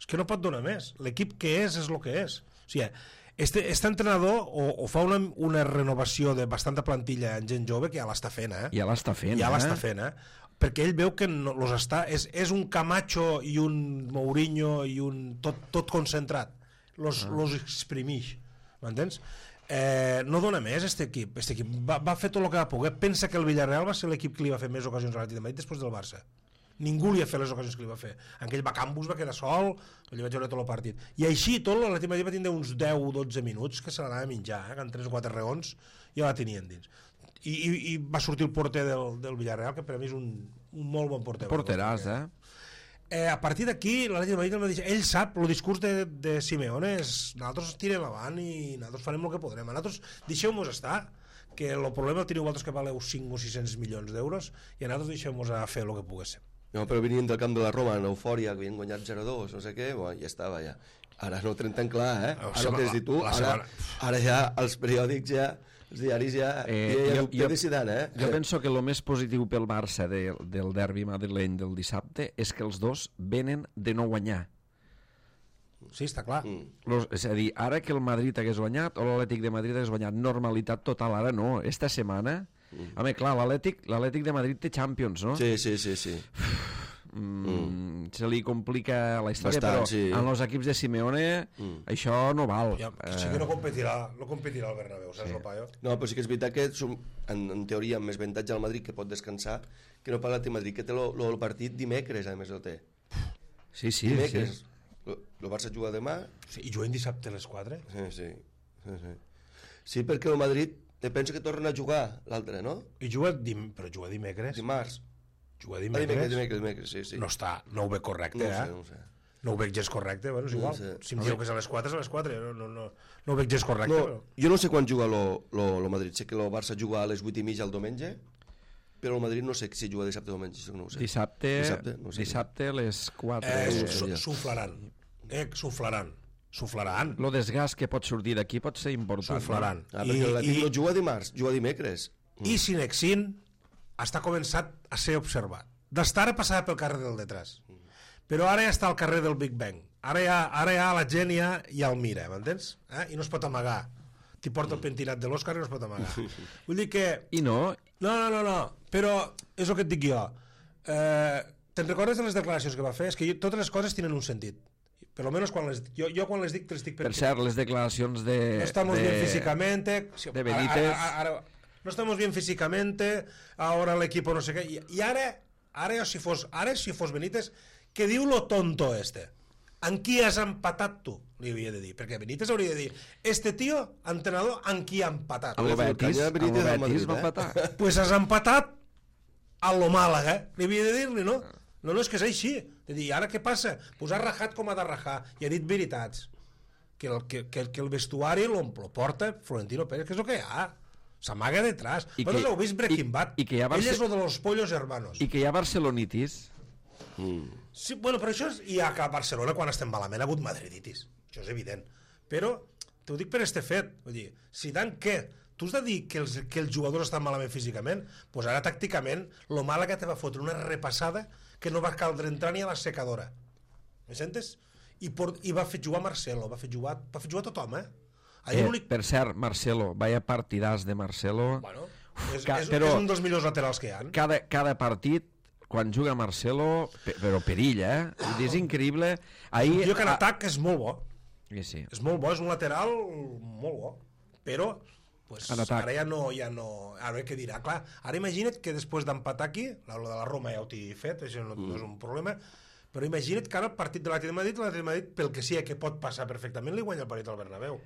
És que no pot donar més. L'equip que és el que és. O sigui, este entrenador o fa una renovació de bastanta plantilla en gent jove que ja l'està fent, Ja l'està fent, perquè ell veu que és un Camacho i un Mourinho i un tot concentrat. Los exprimix, m'entens? No dona més este equip. Este equip va fer tot el que va poder. Pensa que el Villarreal va ser l'equip que li va fer més ocasions a l'Atlètic de Madrid després del Barça. Ningú li ha fet les ocasions que li va fer. Aquell Bacambus va quedar sol, li vaig veure tot el partit. I així tot l'Atlètic de Madrid va tindre uns 10-12 minuts que se l'anava a menjar, que en 3 o 4 raons ja la tenien dins. I va sortir el porter del Villarreal, que per a mi és un molt bon porter. Porteràs, A partir d'aquí, l'Atlètic de Madrid ell sap, el discurs de Simeone és nosaltres tirem avant i nosaltres farem el que podrem. Nosaltres deixeu-nos estar, que el problema el teniu vosaltres que valeu 5 o 600 milions d'euros i nosaltres deixeu-nos a fer el que poguéssim. No, però venien del camp de la Roma en eufòria, que havien guanyat 0-2, no sé què, ja estava ja. Ara no ho tenen tan clar, Ara el que has dit tu, ara ja els periòdics ja, els diaris ja decidiran, Jo penso que el més positiu pel Barça del derbi madrileny del dissabte és que els dos venen de no guanyar. Sí, està clar. És a dir, ara que el Madrid hagués guanyat o l'Atlètic de Madrid hagués guanyat, normalitat total, ara no, esta setmana... Home, clar, l'Atlètic de Madrid té Champions, no? Sí. Se li complica la història, bastant, però en els equips de Simeone això no val. Sí que no competirà el Bernabéu, saps el paio? No, però sí que és veritat que en teoria amb més avantatge al Madrid que pot descansar que no per l'Atlètic de Madrid, que té el partit dimecres, a més el té. Sí. Dimecres. El Barça juga demà. Sí, i juguen dissabte a les 4? Sí. Sí, perquè el Madrid penso que tornen a jugar l'altre, no? I juga dimecres. Dimarts. Juga dimecres. Dimecres, sí. No ho veig correcte, No sé. No ho veig gens correcte, bueno, és igual. Si em dieu que és a les 4, és a les 4. No ho veig gens correcte. No, jo no sé quan juga el Madrid. Sé que el Barça juga a les 8:30 el diumenge, però el Madrid no sé si juga dissabte o diumenge, això no ho sé. Dissabte a les 4. Suflaran. El desgast que pot sortir d'aquí pot ser important. Suflaran. Perquè l'Atlètic no juga dimarts, juga dimecres. I Sinexin està començat a ser observat. D'estar ara passava pel carrer del detrás. Però ara ja està al carrer del Big Bang. Ara ja la gent ja el mira, m'entens? I no es pot amagar. T'hi porta el pentinat de l'Òscar i no es pot amagar. Vull dir que... I no? No, però és el que et dic jo. Te'n recordes de les declaracions que va fer? És que totes les coses tenen un sentit. Per lo menos quan les dic. Jo quan les dic te les dic per cert, les declaracions de... No estamos bien físicamente. De Benítez. No estamos bien físicamente, ahora el equipo no sé què. I ara si fos Benítez, que diu lo tonto este. En qui has empatat tu? Li havia de dir. Perquè Benítez hauria de dir, este tío, entrenador, en qui ha empatat? El Betis va empatar. Pues has empatat a lo Màlaga. Li havia de dir-li, no? No, és que és així. De dir, ara què passa? Pues ha rajat com ha de rajar. I ha dit veritats. Que el vestuari lo porta Florentino Pérez, que és el que hi ha. S'amaga detrás. Vosaltres heu vist Breaking Bad. Ell és lo de los pollos hermanos. I que hi ha barcelonitis. Sí, bueno, però això hi ha que a Barcelona, quan estem malament, ha hagut madriditis. Això és evident. Però t'ho dic per este fet. Vull dir, Zidane què? Tu has de dir que els jugadors estan malament físicament? Doncs pues ara tàcticament lo mala que te va fotre una repassada que no va caldre entrar ni a la secadora. Me sentes? I va fer jugar Marcelo, va fer jugar tothom, Per cert, Marcelo, vaya partidàs de Marcelo. Bueno, és un dels millors laterals que hi ha. Cada partit, quan juga Marcelo, però perilla, és increïble. Jo que en atac és molt bo. Sí. És molt bo, és un lateral molt bo. Però pues, ara ja no... Ara què dirà? Clar, ara imagina't que després d'empatar aquí, lo de la Roma ja ho t'he fet, això no és un problema, però imagina't que ara el partit de l'Atlètic de Madrid, pel que sigui que pot passar perfectament, li guanya el partit al Bernabéu.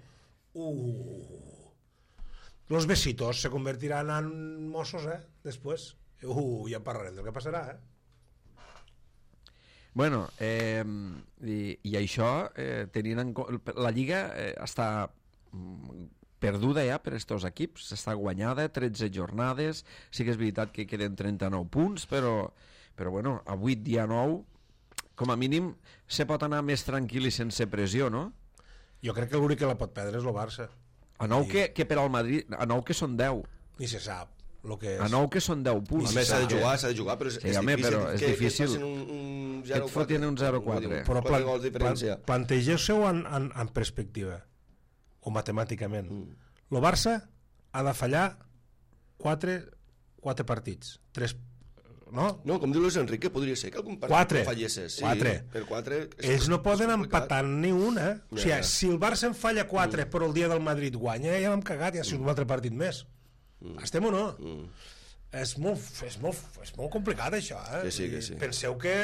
Los besitos se convertiran en mossos, després. Ja en parlarem del que passarà, Bueno, i això, la Lliga està perduda ja per estos equips, està guanyada, 13 jornades, sí que és veritat que queden 39 punts, però bueno, a 8 dia 9, com a mínim, se pot anar més tranquil i sense pressió, no? Jo crec que l'únic que la pot perdre és el Barça. A 9 que per al Madrid, a 9 que són 10. Ni se sap lo que és. A 9 que són 10 punts. A més, s'ha de jugar, però és difícil. Que et fotin un 0-4. Però plantegeu-se-ho en perspectiva, o matemàticament. El Barça ha de fallar 4 partits. 3, no? No, com diu Luis Enrique, podria ser que algun partit fallesses. 4. Per 4 ells no poden empatar ni una. O sigui, si el Barça en falla 4 però el dia del Madrid guanya, ja l'hem cagat, ja ha sigut un altre partit més. Estem o no? És molt complicat, això. Sí. Penseu que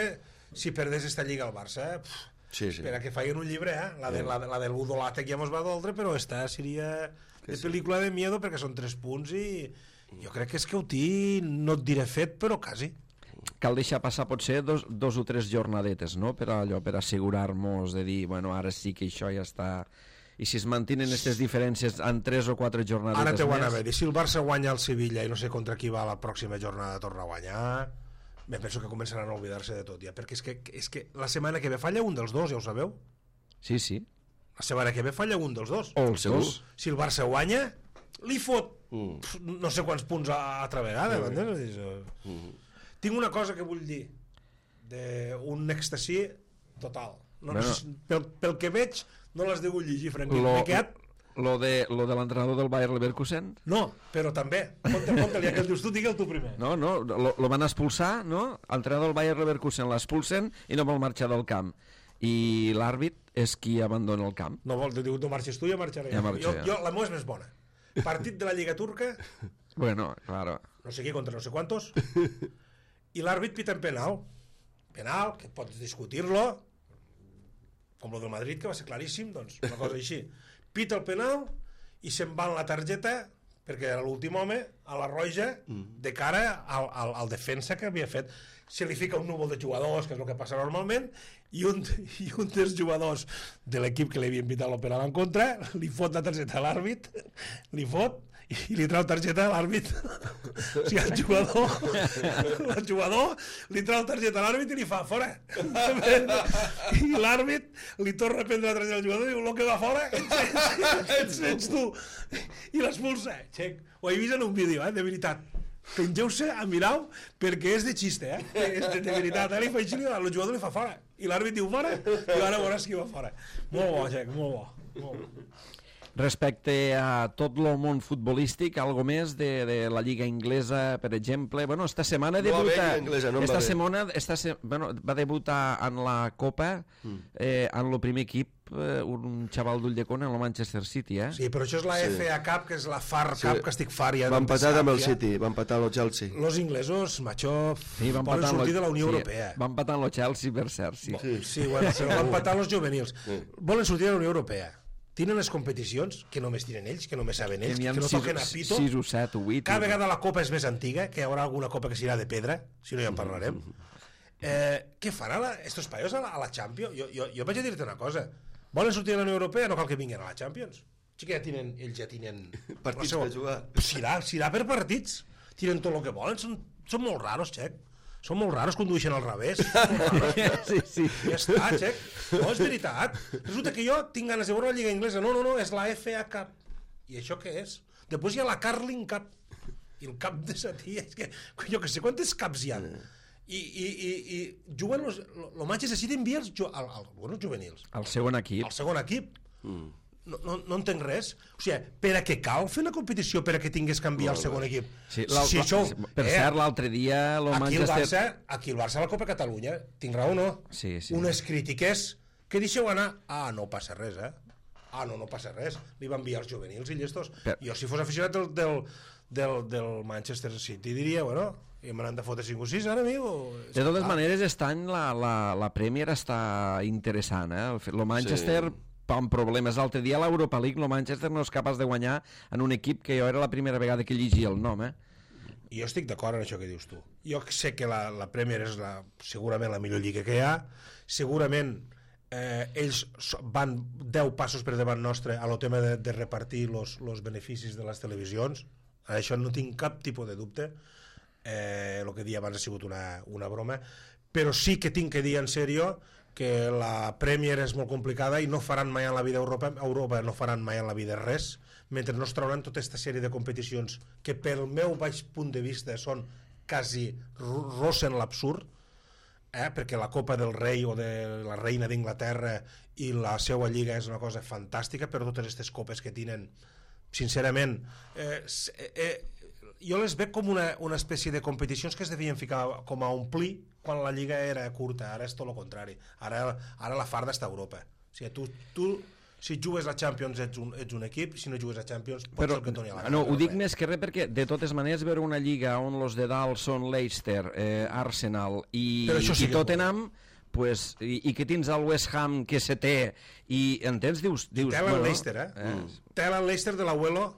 si perdés esta lliga al Barça, per a que facin un llibre, la del Budolate que ja mos va doldre, però esta seria de pel·lícula de miedo, perquè són 3 punts i jo crec que és que ho tinc, no et diré fet, però quasi. Cal deixar passar potser 2 o 3 jornadetes, no?, per assegurar-nos de dir, bueno, ara sí que això ja està... I si es mantenen aquestes diferències en 3 o 4 jornadetes ara més... Ara i si el Barça guanya el Sevilla i no sé contra qui va la pròxima jornada torna a guanyar, penso que començaran a oblidar-se de tot ja, perquè és que la setmana que ve falla un dels dos, ja ho sabeu? Sí. La setmana que ve falla un dels dos. O els dos. Si el Barça guanya, li fot no sé quants punts a altra vegada. Tinc una cosa que vull dir, d'un èxtasi total. Pel que veig, no l'has degut llegir, Franquí. Lo de l'entrenador del Bayer Leverkusen? No, però també. Conta-li, ja que el dius tu, digue'l tu primer. No, lo van expulsar, no? L'entrenador del Bayer Leverkusen l'expulsen i no vol marxar del camp. I l'àrbit és qui abandona el camp. No vol, diu, no marxes tu, ja marxaré. Jo, la meva és més bona. Partit de la Lliga Turca. Bueno, claro. No sé qui contra no sé quantos. I l'àrbit pita en penal. Penal, que pots discutir-lo, com el del Madrid, que va ser claríssim, doncs, una cosa així. Pita el penal i se'n va en la targeta perquè era l'últim home a la roja de cara al defensa que havia fet. Se li fica un núvol de jugadors, que és el que passa normalment, i un dels jugadors de l'equip que li havia pitat el penal en contra li fot la targeta a l'àrbit, li fot i li trau targeta a l'àrbit. O sigui, el jugador li trau targeta a l'àrbit i li fa fora. I l'àrbit li torna a prendre la targeta al jugador i diu, el que va fora ets tu. I l'expulsa. Ho he vist en un vídeo, de veritat. Pengeu-se a mirar-ho perquè és de xiste, és de veritat. Li fa així, el jugador li fa fora i l'àrbit diu fora i ara veuràs qui va fora. Molt bo, Jack, molt bo. Respecte a tot el món futbolístic, algo més de la Lliga Inglesa, per exemple. Bueno, esta setmana debuta... va debutar en la Copa en el primer equip un xaval d'Ulldecona en el Manchester City, Sí, però això és la FA Cup, que és la FAR Cup, que estic far ja. Va empatar amb el City, va empatar el Chelsea. Los inglesos, macho, poden sortir de la Unió Europea. Va empatar el Chelsea, per cert, sí. Sí, bueno, però va empatar els juvenils. Volen sortir de la Unió Europea. Tenen les competicions, que només tiren ells, que només saben ells, que no toquen a pito. 6 o 7 o 8. Cada vegada la copa és més antiga, que hi haurà alguna copa que serà de pedra, si no ja en parlarem. Què fan estos paios a la Champions? Jo vaig a dir-te una cosa. Volen sortir de la Unió Europea? No cal que vinguin a la Champions. Sí que ells ja tenen... partits per jugar. Serà per partits. Tiren tot el que volen. Són molt raros, Xec. Són molt raros, condueixen al revés. Sí. Ja està, xec. No, és veritat. Resulta que jo tinc ganes de veure la Lliga Inglesa. No, és la FA Cup. I això què és? Després hi ha la Carling Cup. I el cap de Satí, és que jo que sé quantes caps hi ha. I juguen el Manchester City envia els juvenils. El segon equip. El segon equip. No entenc res. O sigui, per a què cal fer una competició per a què tingués que enviar el segon equip? Sí, per cert, l'altre dia aquí el Barça a la Copa Catalunya, tinc raó o no? Sí. Unes crítiques que deixeu anar, no passa res, no passa res, li va enviar els juvenils i llestos. Jo si fos aficionat del Manchester City diria, bueno, i me n'han de fotre 5 o 6 ara, amigo. De totes maneres, la Premier està interessant, el Manchester amb problemes. L'altre dia a l'Europa League el Manchester no és capaç de guanyar en un equip que jo era la primera vegada que llegia el nom. Jo estic d'acord en això que dius tu. Jo sé que la Premier és segurament la millor lliga que hi ha, segurament ells van 10 passos per davant nostre a lo tema de repartir els beneficis de les televisions. Això no tinc cap tipus de dubte. El que dia abans ha sigut una broma, però sí que tinc que dir en sèrio que la Premier és molt complicada i no faran mai en la vida Europa no faran mai en la vida res, mentre no es trauran tota aquesta sèrie de competicions que pel meu baix punt de vista són quasi rossen l'absurd, perquè la Copa del Rei o de la Reina d'Inglaterra i la seva lliga és una cosa fantàstica, però totes aquestes copes que tenen, sincerament, jo les veig com una espècie de competicions que es devien ficar com a omplir quan la lliga era curta. Ara és tot el contrari, ara la farda està a Europa. O sigui, tu si jugues a Champions ets un equip, si no jugues a Champions pots ser el que et doni a la gana. Ho dic més que res perquè de totes maneres veure una lliga on els de dalt són Leicester, Arsenal i Tottenham, pues, i que tens el West Ham que se té i entens, dius tela el Leicester, tela el Leicester de l'Abuelo,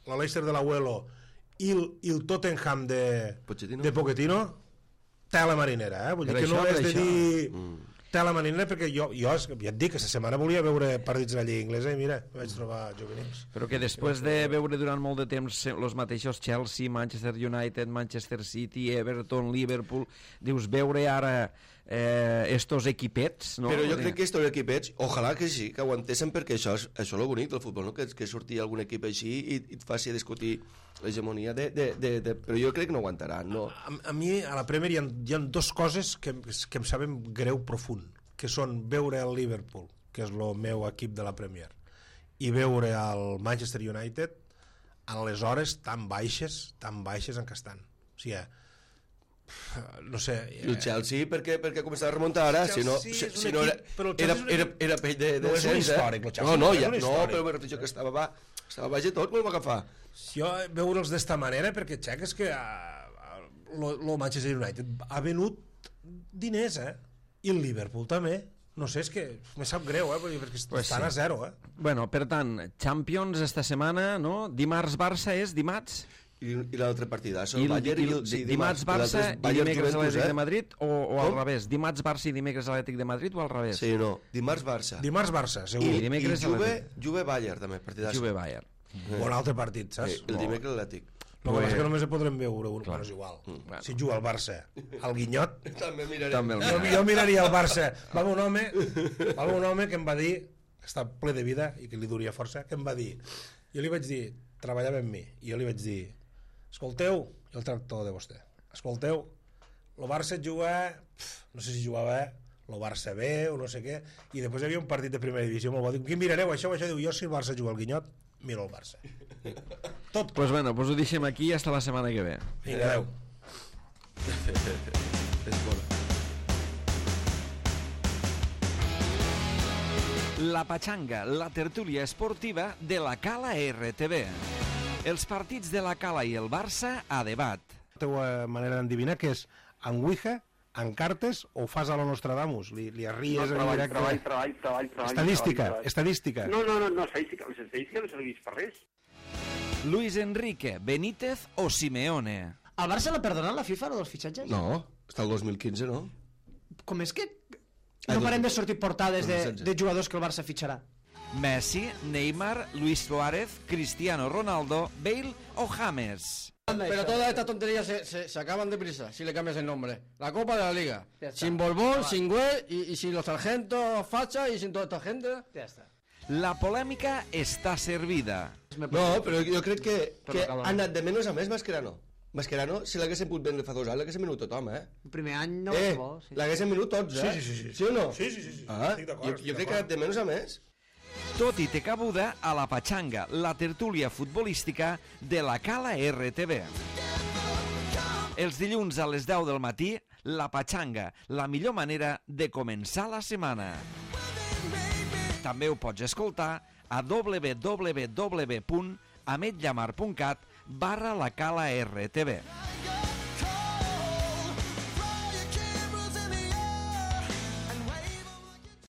la Leicester de l'Abuelo i el Tottenham de Pochettino, tela marinera, vull dir que no és de dir tela marinera, perquè jo ja et dic que aquesta setmana volia veure partits de la Lliga Inglesa i mira, vaig trobar juvenils. Però que després de veure durant molt de temps els mateixos Chelsea, Manchester United, Manchester City, Everton, Liverpool, dius veure ara estos equipets, no? Però jo crec que estos equipets, ojalà que sí, que aguantessin, perquè això és el bonic del futbol, no? Que surti algun equip així i et faci discutir l'hegemonia però jo crec que no aguantaran, no? A mi a la Premier hi ha dues coses que em saben greu profund, que són veure el Liverpool, que és el meu equip de la Premier, i veure el Manchester United en les hores tan baixes en què estan. O sigui, no sé, el Chelsea perquè començava a remuntar ara, si no era pell de no és un històric el Chelsea, no, però me refereixo que estava baix de tot quan ho va agafar. Jo veure'ls d'esta manera perquè xec és que el Manchester United ha venut diners, i el Liverpool també. No sé, és que me sap greu, perquè estan a zero. Bueno, per tant, Champions esta setmana, no? Dimarts Barça és dimarts? I l'altre partidaç, dimarts Barça i dimecres Atlètic de Madrid o al revés? Dimarts Barça i dimecres Atlètic de Madrid o al revés? Sí, no, dimarts Barça, segur. I Juve-Bayern també, partidaç. Juve-Bayern. Un altre partit, saps? El dimecres Atlètic. El que passa és que només podrem veure un, però és igual. Si juga el Barça, el Guinyot, també mirarem. Jo miraria el Barça. Va un home que em va dir, que està ple de vida i que li duria força, que em va dir, jo li vaig dir, treballava amb mi, i jo li vaig dir, escolteu, i el tractor de vostè, escolteu, el Barça juga, no sé si jugava el Barça B o no sé què, i després hi havia un partit de primera divisió, me'l va dir, què mirareu això? Diu, jo si el Barça juga al Guinyot, miro el Barça. Tot. Pues bueno, pues ho deixem aquí i hasta la setmana que ve. Vinga, adeu. És bona. La Patxanga, la tertúlia esportiva de la Cala RTV. Els partits de la Cala i el Barça a debat. La teva manera d'endevinar que és en Ouija, en cartes o fas a lo Nostradamus? Li arries en directe? Treball. Estadística. No, estadística. Les estadístiques no serveix per res. Luis Enrique, Benítez o Simeone? Al Barça l'ha perdonat la FIFA, dels fitxatges? No, està el 2015, no? Com és que no parem de sortir portades de jugadors que el Barça fitxarà? Messi, Neymar, Luis Suárez, Cristiano Ronaldo, Bale o James? Pero todas estas tonterías se acaban deprisa si le cambias el nombre. La Copa de la Liga. Sin Borbón, sin Güell y sin los sargentos Facha y sin toda esta gente. Ja està. La polèmica està servida. No, però jo crec que ha anat de menys a més Mascherano. Mascherano, si l'haguessin pogut vendre fa 2 anys, l'haguessin venut tothom, El primer any no va ser bo. Sí. L'haguessin venut tots, Sí. Sí o no? Sí. Ah, Estic d'acord, jo crec que ha anat de menys a més. Tot i té cabuda a la Patxanga, la tertúlia futbolística de la Cala RTV. Els dilluns a les 10 del matí, la Patxanga, la millor manera de començar la setmana. També ho pots escoltar a www.ametllamar.cat/la Cala RTV.